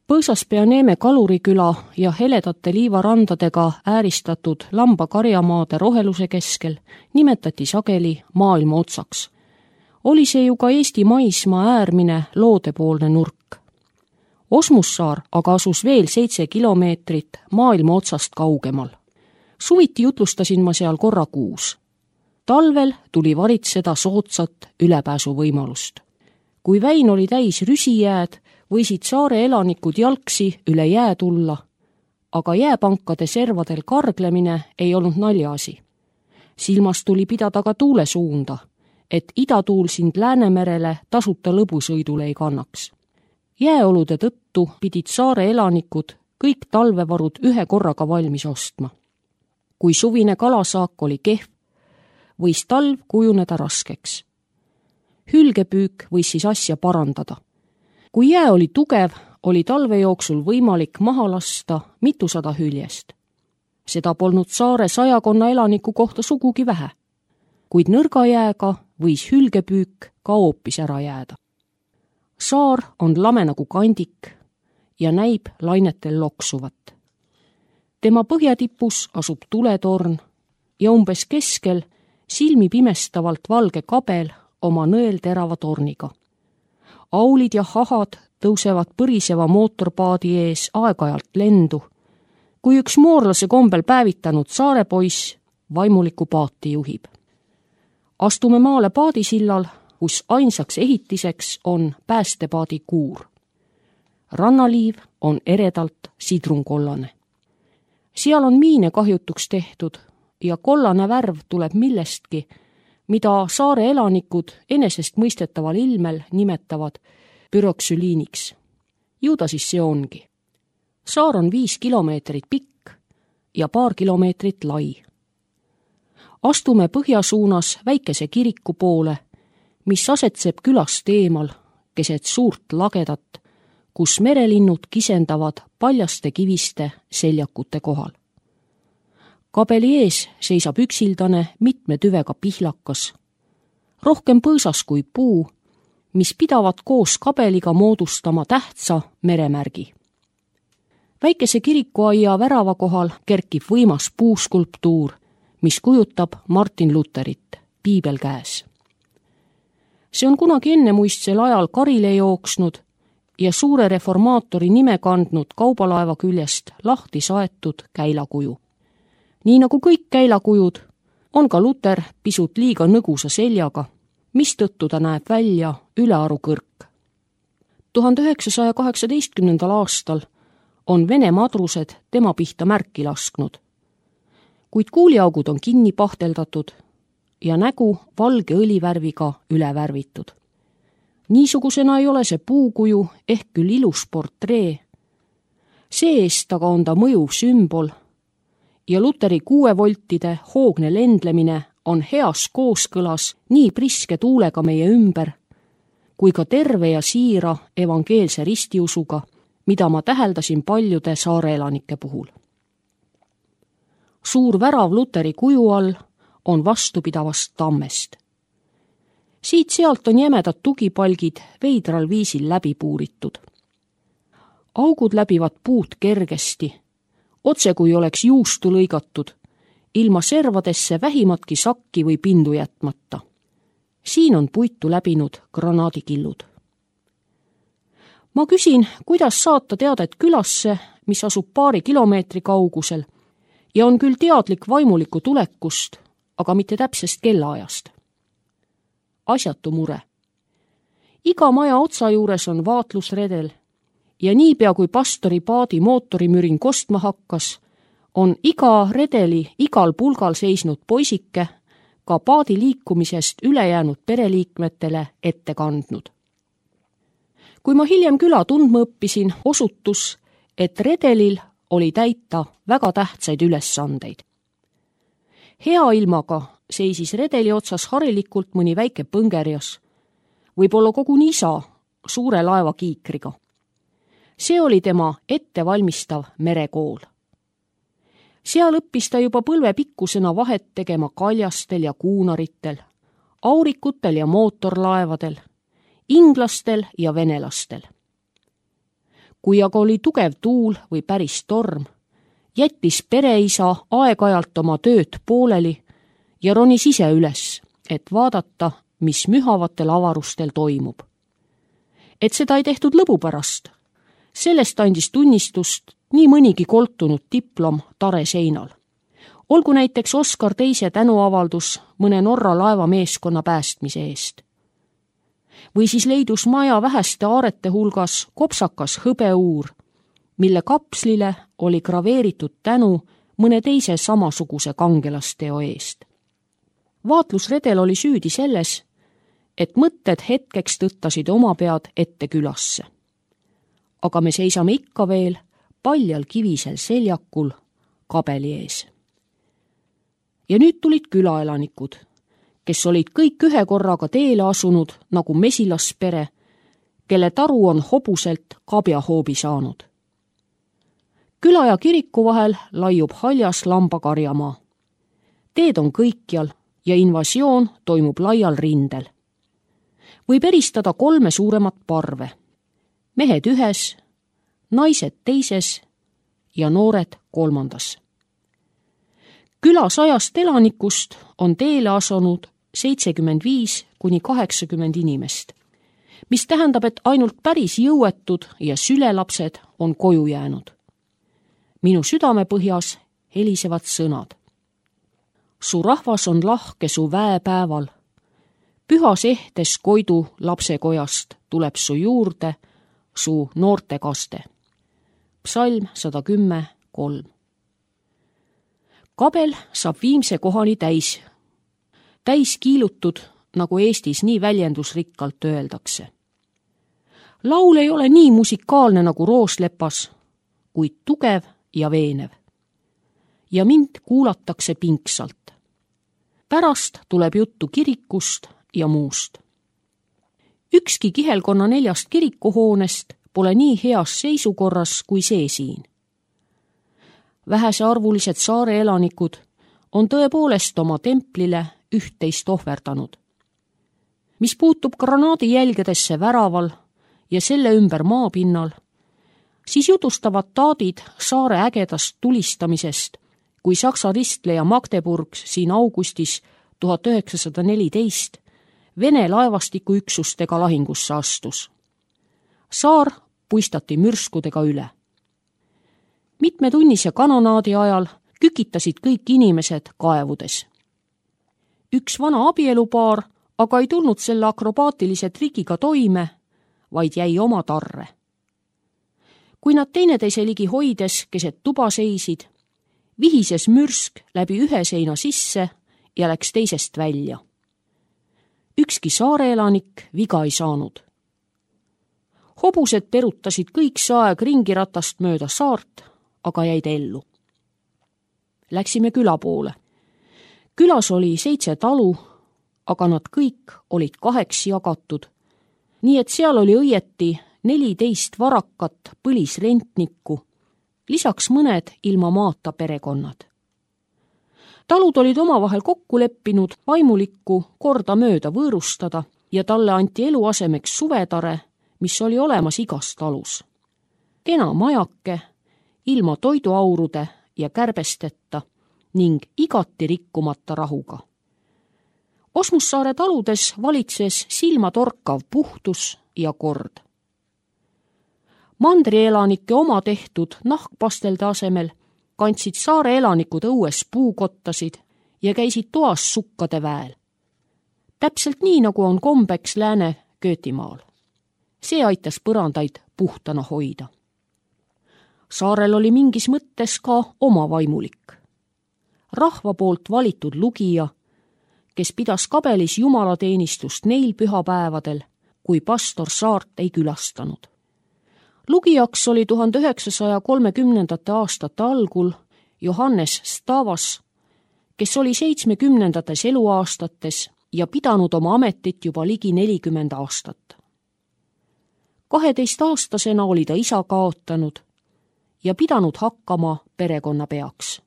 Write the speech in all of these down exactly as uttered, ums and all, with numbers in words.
Põõsaspea-Neeme kaluriküla ja heledate liivarandadega ääristatud lambakarjamaade roheluse keskel nimetati sageli maailma otsaks. Oli see ju ka Eesti maismaa äärmine loodepoolne nurk. Osmussaar aga asus veel seitse kilomeetrit maailma otsast kaugemal. Suviti jutlustasin ma seal korra kuus. Talvel tuli varitseda soodsat ülepääsuvõimalust. Kui väin oli täis rüsijääd, võisid saare elanikud jalgsi üle jää tulla, aga jääpankade servadel karglemine ei olnud naljaasi. Silmas tuli pidada ka tuule suunda, et idatuul sind Läänemerele tasuta lõbusõidule ei kannaks. Jääolude tõttu pidid saare elanikud kõik talvevarud ühe korraga valmis ostma. Kui suvine kalasaak oli kehv, võis talv kujuneda raskeks. Hülgepüük võis siis asja parandada. Kui jää oli tugev, oli talve jooksul võimalik maha lasta mitusada hüljest. Seda polnud saare sajakonna elaniku kohta sugugi vähe, kuid nõrga jääga võis hülgepüük ka hoopis ära jääda. Saar on lame nagu kandik ja näib lainetel loksuvat. Tema põhjatipus asub tuletorn ja umbes keskel silmi pimestavalt valge kabel oma nõelterava torniga. Aulid ja hahad tõusevad põriseva mootorpaadi ees aeg-ajalt lendu, kui üks moorlase kombel päevitanud saarepoiss vaimuliku paati juhib. Astume maale paadisillal, kus ainsaks ehitiseks on päästepaadi kuur. Rannaliiv on eredalt sidrunkollane. Seal on miine kahjutuks tehtud ja kollane värv tuleb millestki, mida saare elanikud enesest mõistetaval ilmel nimetavad püroksüliiniks. Ju ta siis see ongi. Saar on viis kilomeetrit pikk ja paar kilomeetrit lai. Astume põhjasuunas väikese kiriku poole, mis asetseb külast eemal keset suurt lagedat, kus merelinnud kisendavad paljaste kiviste seljakute kohal. Kabeli ees seisab üksildane mitme tüvega pihlakas, rohkem põõsas kui puu, mis pidavad koos kabeliga moodustama tähtsa meremärgi. Väikese kirikuaia värava kohal kerkib võimas puuskulptuur, mis kujutab Martin Luterit, piibel käes. See on kunagi ennemuistsel ajal karile jooksnud ja suure reformaatori nime kandnud kaubalaeva küljest lahti saetud käilakuju. Nii nagu kõik käilakujud, on ka Luter pisut liiga nõgusa seljaga, mistõttu ta näeb välja ülearu kõrk. tuhande üheksasaja kaheksateistkümnendal aastal on Vene madrused tema pihta märki lasknud, kuid kuuliaugud on kinni pahteldatud ja nägu valge õlivärviga üle värvitud. Niisugusena ei ole see puukuju ehk küll ilus portree. See-eest aga on ta mõjuv sümbol ja Luteri kuuevoltide hoogne lendlemine on heas kooskõlas nii priske tuulega meie ümber, kui ka terve ja siira evangeelse ristiusuga, mida ma täheldasin paljude saareelanike puhul. Suur värav Luteri kuju all on vastupidavast tammest. Siit-sealt on jämedad tugipalgid veidral viisil läbi puuritud. Augud läbivad puud kergesti, otse kui oleks juustu lõigatud, ilma servadesse vähimatki sakki või pindu jätmata. Siin on puitu läbinud granaadikillud. Ma küsin, kuidas saata teadet külasse, mis asub paari kilomeetri kaugusel ja on küll teadlik vaimuliku tulekust, aga mitte täpsest kellaajast. Asjatu mure. Iga maja otsa juures on vaatlusredel ja niipea kui pastori paadi mootorimürin kostma hakkas, on iga redeli igal pulgal seisnud poisike ka paadi liikumisest ülejäänud pereliikmetele ette kandnud. Kui ma hiljem küla tundma õppisin, osutus, et redelil oli täita väga tähtsaid ülesandeid. Hea ilmaga seisis redeli otsas harilikult mõni väike põngerjas, võib-olla koguni isa suure laeva kiikriga. See oli tema ettevalmistav merekool. Seal õppis ta juba põlve pikkusena vahet tegema kaljastel ja kuunaritel, aurikutel ja mootorlaevadel, inglastel ja venelastel. kui aga oli tugev tuul või päris torm, jättis pereisa aeg-ajalt oma tööd pooleli ja ronis ise üles, et vaadata, mis mühavatel avarustel toimub. Et seda ei tehtud lõbu pärast, sellest andis tunnistust nii mõnigi koltunud diplom tare seinal. Olgu näiteks Oskar teise tänuavaldus mõne Norra laevameeskonna päästmise eest. Või siis leidus maja väheste aarete hulgas kopsakas hõbeuur, mille kapslile oli graveeritud tänu mõne teise samasuguse kangelasteo eest. Vaatlusredel oli süüdi selles, et mõtted hetkeks tõttasid oma pead ette külasse. Aga me seisame ikka veel paljal kivisel seljakul kabeli ees. Ja nüüd tulid külaelanikud, kes olid kõik ühe korraga teele asunud nagu mesilaspere, kelle taru on hobuselt kabjahoobi saanud. Küla ja kiriku vahel laiub haljas lambakarjamaa. Teed on kõikjal ja invasioon toimub laial rindel. Võib eristada kolme suuremat parve. Mehed ühes, naised teises ja noored kolmandas. Küla sajast elanikust on teele asunud seitsekümmend viis kuni kaheksakümmend inimest, mis tähendab, et ainult päris jõuetud ja sülelapsed on koju jäänud. Minu südamepõhjas helisevad sõnad. Su rahvas on lahke su väepäeval. Pühas ehtes koidu lapsekojast tuleb su juurde su noortekaste. Psalm sada kümme kolm. Kabel saab viimse kohani täis. Täis kiilutud, nagu Eestis nii väljendusrikkalt öeldakse. Laul ei ole nii musikaalne nagu Rooslepas, kuid tugev ja veenev. Ja mind kuulatakse pingsalt. Pärast tuleb juttu kirikust ja muust. Ükski kihelkonna neljast kirikuhoonest pole nii heas seisukorras kui see siin. Vähesearvulised saare elanikud on tõepoolest oma templile üht-teist ohverdanud. Mis puutub granaadijälgedesse väraval ja selle ümber maapinnal, siis jutustavad taadid saare ägedast tulistamisest, kui Saksa ristleja Magdeburg siin augustis tuhat üheksasada neliteist Vene laevastiku üksustega lahingusse astus. Saar puistati mürskudega üle. Mitmetunnise kanonaadi ajal kükitasid kõik inimesed kaevudes. Üks vana abielupaar aga ei tulnud selle akrobaatilise trikiga toime, vaid jäi oma tarre. Kui nad teineteise ligi hoides keset tuba seisid, vihises mürsk läbi ühe seina sisse ja läks teisest välja. Ükski saare elanik viga ei saanud. Hobused perutasid kõik see aeg ringiratast mööda saart, aga jäid ellu. Läksime küla poole. Külas oli seitse talu, aga nad kõik olid kaheks jagatud, nii et seal oli õieti neliteist varakat põlisrentnikku, lisaks mõned ilma maata perekonnad. Talud olid omavahel kokku leppinud vaimulikku korda mööda võõrustada ja talle anti eluasemeks suvetare, mis oli olemas igas talus. Kena majake, ilma toiduaurude ja kärbesteta ning igati rikkumata rahuga. Osmussaare taludes valitses silmatorkav puhtus ja kord. Mandrieelanike oma tehtud nahkpastelde asemel kandsid saare elanikud õues puukottasid ja käisid toas sukkade väel. Täpselt nii, nagu on kombeks Lääne Köötimaal. See aitas põrandaid puhtana hoida. Saarel oli mingis mõttes ka oma vaimulik. Rahva poolt valitud lugija, kes pidas kabelis jumalateenistust neil pühapäevadel, kui pastor saart ei külastanud. Lugijaks oli tuhande üheksasaja kolmekümnendate aastate algul Johannes Stavas, kes oli seitsmekümnendates eluaastates ja pidanud oma ametit juba ligi nelikümmend aastat. kaheteistaastasena oli ta isa kaotanud ja pidanud hakkama perekonna peaks.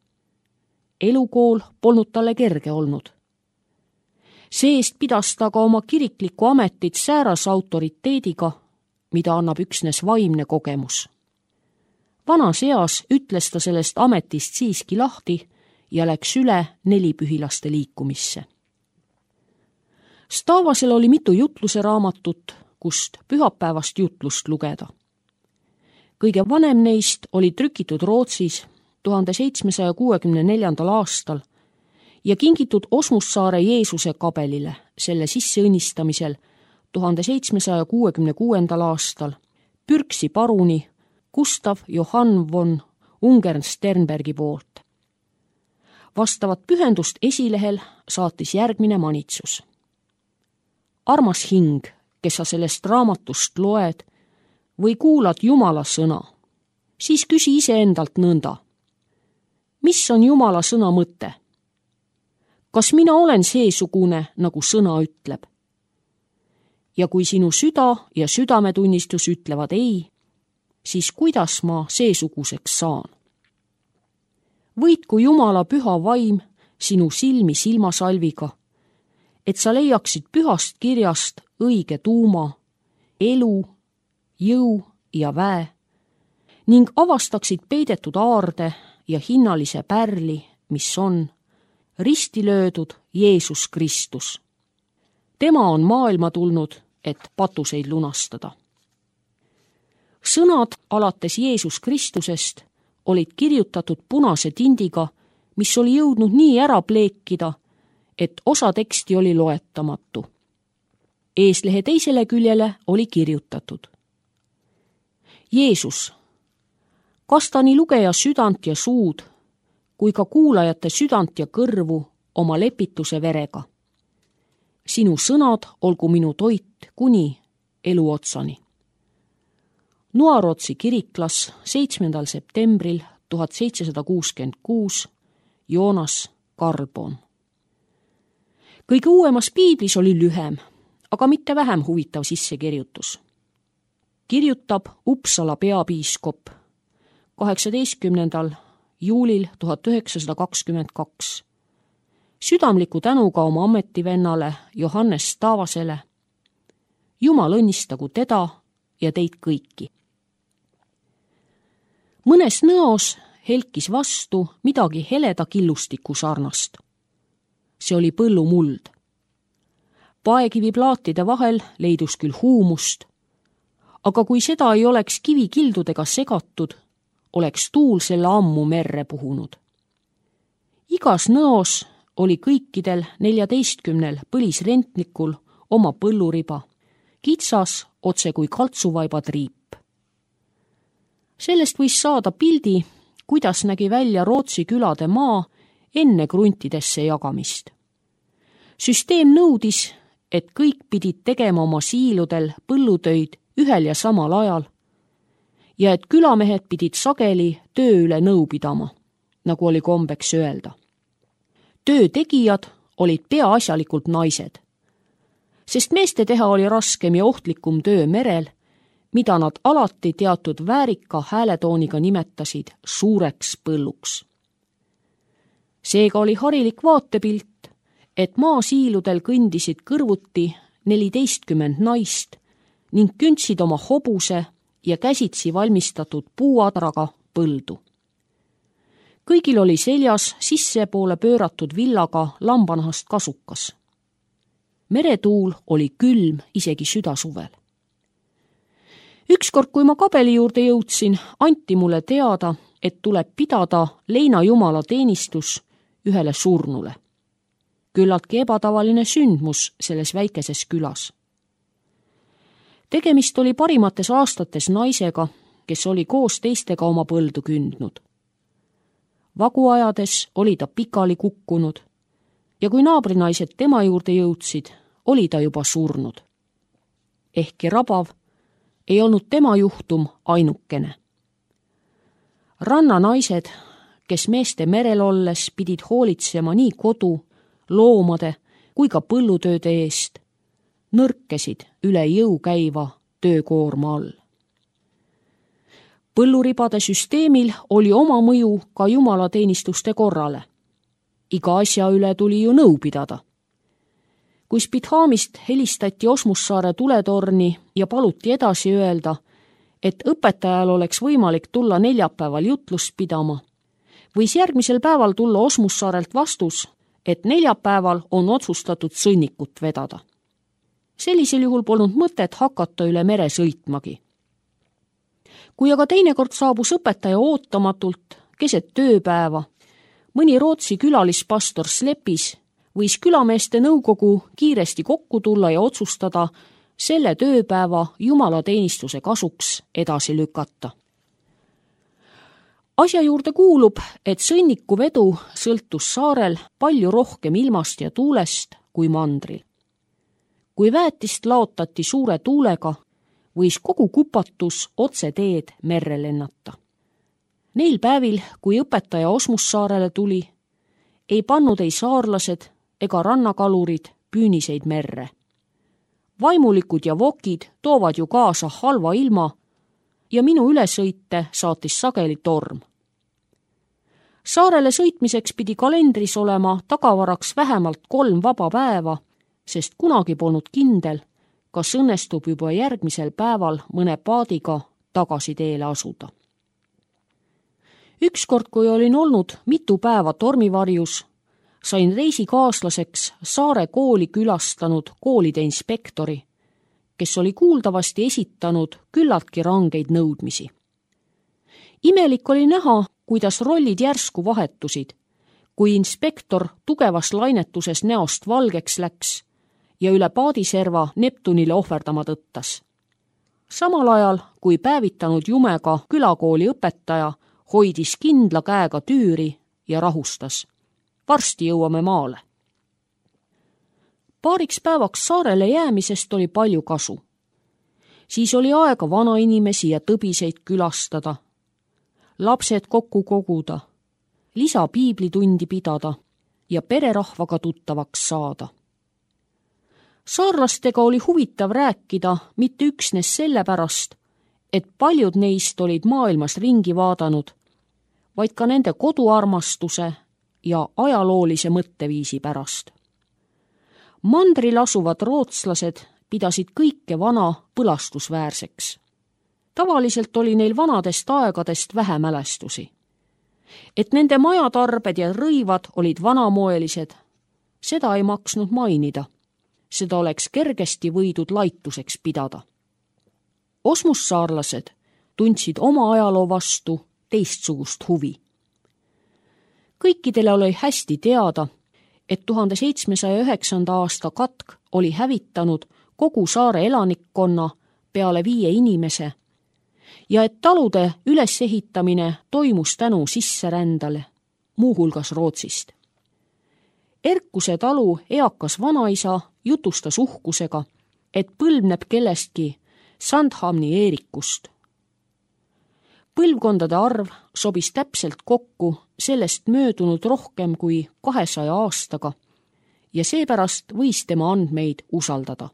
Elukool polnud talle kerge olnud. See-eest pidas ta ka oma kiriklikku ametit säärase autoriteediga, mida annab üksnes vaimne kogemus. vanas eas ütles ta sellest ametist siiski lahti ja läks üle nelipühilaste liikumisse. Stavasel oli mitu jutluse raamatut, kust pühapäevast jutlust lugeda. Kõige vanem neist oli trükitud Rootsis tuhande seitsmesaja kuuekümne neljandal aastal ja kingitud Osmussaare Jeesuse kabelile selle sisseõnnistamisel tuhande seitsmesaja kuuekümne kuuendal aastal Pürksi paruni Gustav Johann von Ungern-Sternbergi poolt. Vastavat pühendust esilehel saatis järgmine manitsus. Armas hing, kes sa sellest raamatust loed või kuulad Jumala sõna, siis küsi iseendalt nõnda. Mis on Jumala sõna mõte? Kas mina olen seesugune, nagu sõna ütleb? Ja kui sinu süda ja südametunnistus ütlevad ei, siis kuidas ma seesuguseks saan? Võitku Jumala püha vaim sinu silmi silmasalviga, et sa leiaksid pühast kirjast õige tuuma, elu, jõu ja väe ning avastaksid peidetud aarde ja hinnalise pärli, mis on risti löödud Jeesus Kristus. Tema on maailma tulnud, et patuseid lunastada. Sõnad alates Jeesus Kristusest olid kirjutatud punase tindiga, mis oli jõudnud nii ära pleekida, et osa teksti oli loetamatu. Eeslehe teisele küljele oli kirjutatud. Jeesus, kasta nii lugeja südant ja suud, kui ka kuulajate südant ja kõrvu oma lepituse verega. Sinu sõnad olgu minu toit kuni elu otsani. Nuarotsi kiriklas seitsmendal septembril tuhat seitsesada kuuskümmend kuus Joonas Karlborn. Kõige uuemas piiblis oli lühem, aga mitte vähem huvitav sissekirjutus. Kirjutab Uppsala peapiiskop kaheksateistkümnendal juulil tuhat üheksasada kakskümmend kaks. Südamliku tänuga oma ametivennale Johannes Stavasele. Jumal õnnistagu teda ja teid kõiki. Mõnes nõos helkis vastu midagi heleda killustiku sarnast. See oli põllumuld. Paekiviplaatide vahel leidus küll huumust, aga kui seda ei oleks kivikildudega segatud, oleks tuul selle ammu merre puhunud. Igas nõos oli kõikidel neljateistkümnel põlisrentnikul oma põlluriba, kitsas otse kui kaltsuvaiba triip. Sellest võis saada pildi, kuidas nägi välja Rootsi külade maa enne kruntidesse jagamist. Süsteem nõudis, et kõik pidid tegema oma siiludel põllutöid ühel ja samal ajal ja et külamehed pidid sageli töö üle nõu pidama, nagu oli kombeks öelda. Töö tegijad olid peaasjalikult naised, sest meeste teha oli raskem ja ohtlikum töö merel, mida nad alati teatud väärika hääletooniga nimetasid suureks põlluks. Seega oli harilik vaatepilt, et maasiiludel kõndisid kõrvuti neliteistkümmend naist ning kündsid oma hobuse ja käsitsi valmistatud puuadraga põldu. Kõigil oli seljas sissepoole pööratud villaga lambanahast kasukas. Meretuul oli külm isegi südasuvel. Ükskord, kui ma kabeli juurde jõudsin, anti mulle teada, et tuleb pidada leina jumala teenistus ühele surnule. Küllaltki ebatavaline sündmus selles väikeses külas. Tegemist oli parimates aastates naisega, kes oli koos teistega oma põldu kündnud. Vagu ajades oli ta pikali kukkunud ja kui naabrinaised tema juurde jõudsid, oli ta juba surnud. Ehkki rabav, ei olnud tema juhtum ainukene. Rannanaised, kes meeste merel olles pidid hoolitsema nii kodu, loomade kui ka põllutööde eest, nõrkesid üle jõu käiva töökoorma all. Põlluribade süsteemil oli oma mõju ka jumalateenistuste korrale. Iga asja üle tuli ju nõu pidada. Kui Spithamist helistati Osmussaare tuletorni ja paluti edasi öelda, et õpetajal oleks võimalik tulla neljapäeval jutlust pidama, võis järgmisel päeval tulla Osmussaarelt vastus, et neljapäeval on otsustatud sõnnikut vedada. Sellisel juhul polnud mõtet hakata üle mere sõitmagi. Kui aga teinekord saabus õpetaja ootamatult keset tööpäeva, mõni Rootsi külalispastor Slepis võis külameeste nõukogu kiiresti kokku tulla ja otsustada selle tööpäeva jumalateenistuse kasuks edasi lükata. Asja juurde kuulub, et sõnniku vedu sõltus saarel palju rohkem ilmast ja tuulest kui mandril. Kui väetist laotati suure tuulega, võis kogu kupatus otse teed merre lennata. Neil päevil, kui õpetaja Osmussaarele tuli, ei pannud ei saarlased ega rannakalurid püüniseid merre. Vaimulikud ja vokid toovad ju kaasa halva ilma ja minu ülesõite saatis sageli torm. Saarele sõitmiseks pidi kalendris olema tagavaraks vähemalt kolm vaba päeva, sest kunagi polnud kindel, kas õnnestub juba järgmisel päeval mõne paadiga tagasi teele asuda. Ükskord, kui olin olnud mitu päeva tormivarjus, sain reisikaaslaseks Saare kooli külastanud koolide inspektori, kes oli kuuldavasti esitanud küllaltki rangeid nõudmisi. Imelik oli näha, kuidas rollid järsku vahetusid, kui inspektor tugevas lainetuses näost valgeks läks ja üle paadiserva Neptunile ohverdama tõttas. Samal ajal, kui päevitanud jumega külakooli õpetaja hoidis kindla käega tüüri ja rahustas. Varsti jõuame maale. Paariks päevaks saarele jäämisest oli palju kasu. Siis oli aega vanainimesi ja tõbiseid külastada, lapsed kokku koguda, lisa piiblitundi pidada ja pererahvaga tuttavaks saada. Saarlastega oli huvitav rääkida mitte üksnes sellepärast, et paljud neist olid maailmas ringi vaadanud, vaid ka nende koduarmastuse ja ajaloolise mõtteviisi pärast. Mandril asuvad rootslased pidasid kõike vana põlastusväärseks. Tavaliselt oli neil vanadest aegadest vähe mälestusi. Et nende majatarbed ja rõivad olid vanamoelised, seda ei maksnud mainida. Seda oleks kergesti võidud laituseks pidada. Osmussaarlased tundsid oma ajaloo vastu teistsugust huvi. Kõikidele oli hästi teada, et tuhande seitsmesaja üheksanda aasta katk oli hävitanud kogu saare elanikkonna peale viie inimese ja et talude ülesehitamine toimus tänu sisserändale, muuhulgas Rootsist. Erkuse talu eakas vanaisa jutustas uhkusega, et põlvneb kellestki Sandhamni Eerikust. Põlvkondade arv sobis täpselt kokku sellest möödunud rohkem kui kahesaja aastaga ja seepärast võis tema andmeid usaldada.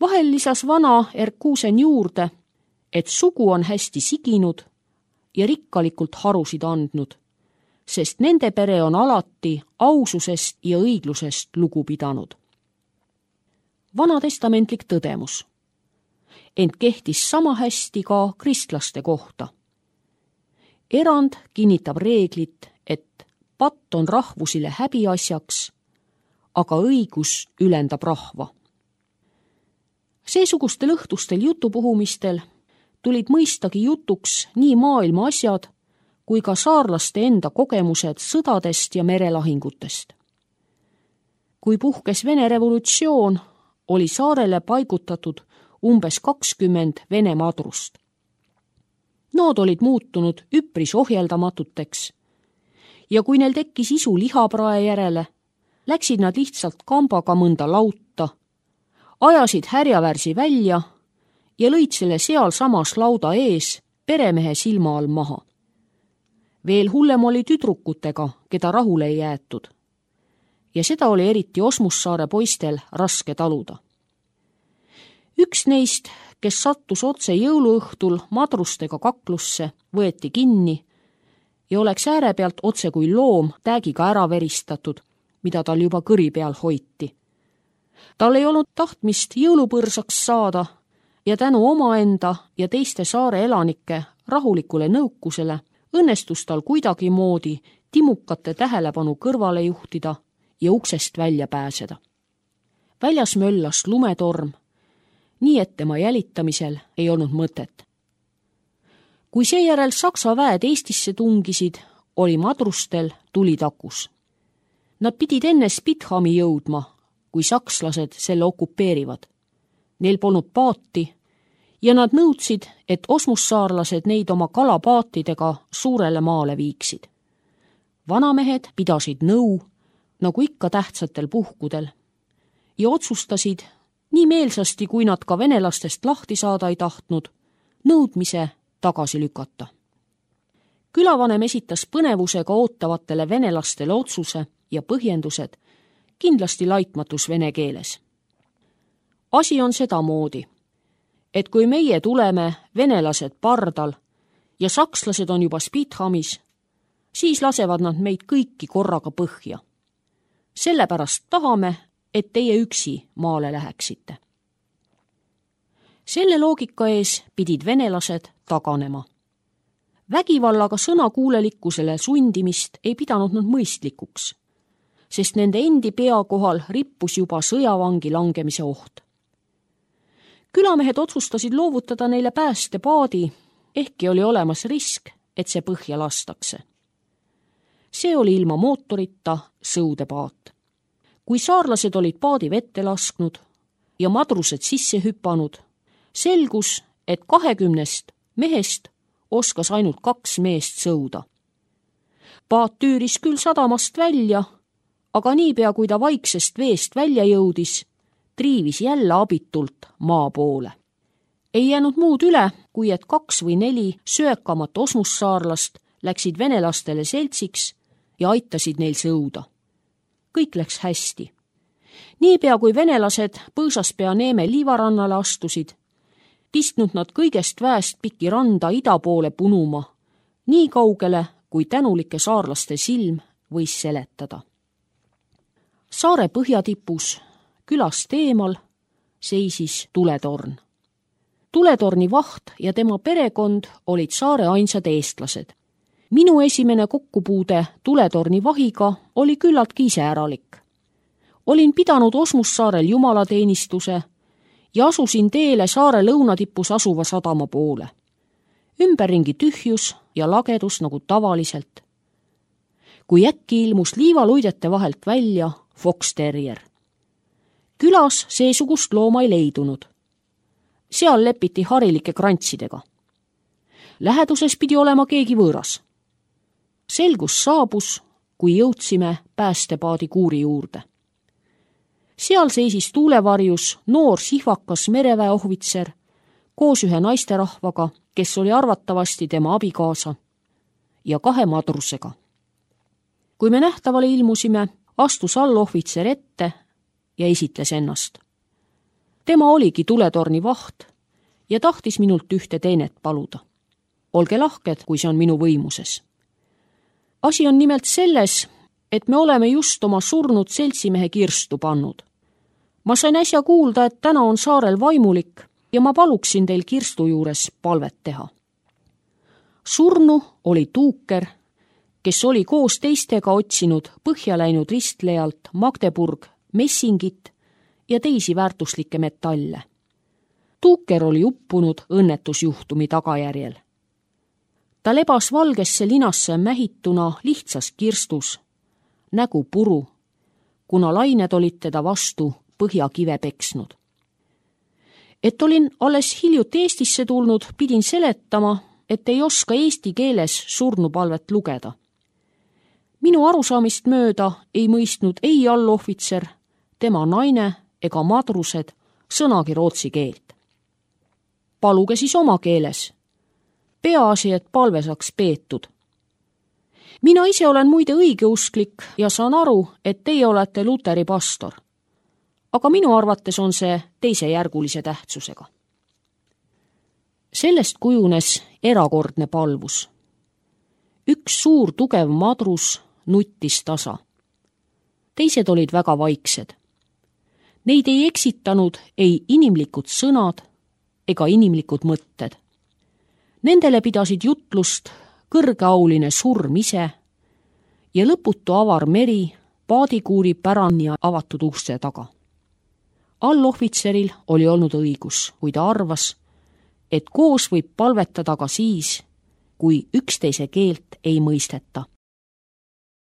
Vahel lisas vana Erkusen juurde, et sugu on hästi siginud ja rikkalikult harusid andnud, sest nende pere on alati aususest ja õiglusest lugu pidanud. Vanatestamentlik tõdemus. Ent kehtis sama hästi ka kristlaste kohta. Erand kinnitab reeglit, et patt on rahvusile häbiasjaks, aga õigus ülendab rahva. Seesugustel õhtustel jutupuhumistel tulid mõistagi jutuks nii maailma asjad kui ka saarlaste enda kogemused sõdadest ja merelahingutest. Kui puhkes Vene revolutsioon, oli saarele paigutatud umbes kakskümmend Vene madrust. Nood olid muutunud üpris ohjeldamatuteks ja kui neil tekkis isu lihaprae järele, läksid nad lihtsalt kambaga mõnda lauta, ajasid härjavärsi välja ja lõid selle seal samas lauda ees peremehe silma all maha. Veel hullem oli tüdrukutega, keda rahule ei jäetud. Ja seda oli eriti Osmussaare poistel raske taluda. Üks neist, kes sattus otse jõuluõhtul madrustega kaklusse, võeti kinni ja oleks ääre pealt otse kui loom täägiga ära veristatud, mida tal juba kõri peal hoiti. Tal ei olnud tahtmist jõulupõrsaks saada ja tänu omaenda ja teiste saare elanike rahulikule nõukusele õnnestus tal kuidagimoodi timukate tähelepanu kõrvale juhtida ja uksest välja pääseda. Väljas möllas lumetorm, nii et tema jälitamisel ei olnud mõtet. Kui seejärel Saksa väed Eestisse tungisid, oli madrustel tuli takus. Nad pidid enne Spithami jõudma, kui sakslased selle okupeerivad. Neil polnud paati ja nad nõudsid, et osmussaarlased neid oma kalapaatidega suurele maale viiksid. Vanamehed pidasid nõu, nagu ikka tähtsatel puhkudel, ja otsustasid, nii meelsasti kui nad ka venelastest lahti saada ei tahtnud, nõudmise tagasi lükata. Külavanem esitas põnevusega ootavatele venelastele otsuse ja põhjendused, kindlasti laitmatus vene keeles. Asi on sedamoodi, et kui meie tuleme venelased pardal ja sakslased on juba Spithamis, siis lasevad nad meid kõiki korraga põhja. Sellepärast tahame, et teie üksi maale läheksite. Selle loogika ees pidid venelased taganema. Vägivallaga sõnakuulelikkusele sundimist ei pidanud nad mõistlikuks, sest nende endi pea kohal rippus juba sõjavangi langemise oht. Külamehed otsustasid loovutada neile päästepaadi, ehkki oli olemas risk, et see põhja lastakse. See oli ilma mootorita sõudepaat. Kui saarlased olid paadi vette lasknud ja madrused sisse hüpanud, selgus, et kahekümnest mehest oskas ainult kaks meest sõuda. Paat tüüris küll sadamast välja, aga niipea kui ta vaiksest veest välja jõudis, triivis jälle abitult maa poole. Ei jäänud muud üle, kui et kaks või neli söökamat osmussaarlast läksid venelastele seltsiks ja aitasid neil sõuda. Kõik läks hästi. Niipea kui venelased Põõsaspea Neeme liivarannale astusid, pistnud nad kõigest väest piki randa ida poole punuma, nii kaugele, kui tänulike saarlaste silm võis seletada. Saare põhjatipus, külast eemal, seisis tuletorn. Tuletorni vaht ja tema perekond olid saare ainsad eestlased. Minu esimene kokkupuude tuletorni vahiga oli küllaltki iseäralik. Olin pidanud Osmussaarel jumalateenistuse ja asusin teele saare lõunatipus asuva sadama poole. Ümberringi tühjus ja lagedus nagu tavaliselt. Kui äkki ilmus liivaluidete vahelt välja Fox Terrier. Külas seesugust looma ei leidunud. Seal lepiti harilike krantsidega. Läheduses pidi olema keegi võõras. Selgus saabus, kui jõudsime päästepaadi kuuri juurde. Seal seisis tuulevarjus noor sihvakas mereväeohvitser koos ühe naisterahvaga, kes oli arvatavasti tema abikaasa, ja kahe madrusega. Kui me nähtavale ilmusime, astus allohvitser ette ja esitles ennast. Tema oligi tuletorni vaht ja tahtis minult ühte teenet paluda. Olge lahked, kui see on minu võimuses. Asi on nimelt selles, et me oleme just oma surnud seltsimehe kirstu pannud. Ma sain äsja kuulda, et täna on saarel vaimulik ja ma paluksin teil kirstu juures palvet teha. Surnu oli Tuuker, kes oli koos teistega otsinud põhja läinud ristlejalt Magdeburg messingit ja teisi väärtuslikke metalle. Tuuker oli uppunud õnnetusjuhtumi tagajärjel. Ta lebas valgesse linasse mähituna lihtsas kirstus, nägu puru, kuna lained olid teda vastu põhjakive peksnud. Et olin alles hiljuti Eestisse tulnud, pidin seletama, et ei oska eesti keeles surnupalvet lugeda. Minu arusaamist mööda ei mõistnud ei allohvitser, tema naine ega madrused sõnagi rootsi keelt. Paluge siis oma keeles. Peaasi, et palve saaks peetud. Mina ise olen muide õigeusklik ja saan aru, et teie olete luteri pastor. Aga minu arvates on see teisejärgulise tähtsusega. Sellest kujunes erakordne palvus. Üks suur tugev madrus nuttis tasa. Teised olid väga vaiksed. Neid ei eksitanud ei inimlikud sõnad ega inimlikud mõtted. Nendele pidasid jutlust kõrgeauline surm ise ja lõputu avar meri paadikuuri pärani avatud uste taga. Allohvitseril oli olnud õigus, kui ta arvas, et koos võib palvetada ka siis, kui üksteise keelt ei mõisteta.